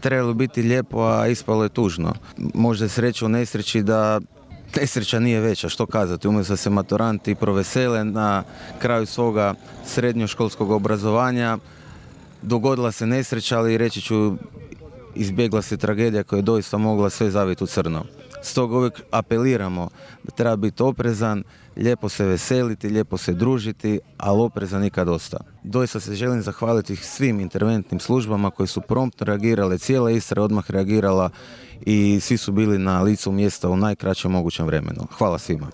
Trebalo biti lijepo, a ispalo je tužno. Možda je sreća u nesreći da nesreća nije veća, što kazati, umjesto da se maturanti provesele na kraju svoga srednjoškolskog obrazovanja, dogodila se nesreća, ali reći ću, izbjegla se tragedija koja je doista mogla sve zaviti u crno. Stoga uvijek apeliramo da treba biti oprezan, lijepo se veseliti, lijepo se družiti, ali oprezan nikad dosta. Doista se želim zahvaliti svim interventnim službama koji su promptno reagirale, cijela Istra je odmah reagirala i svi su bili na licu mjesta u najkraćem mogućem vremenu. Hvala svima.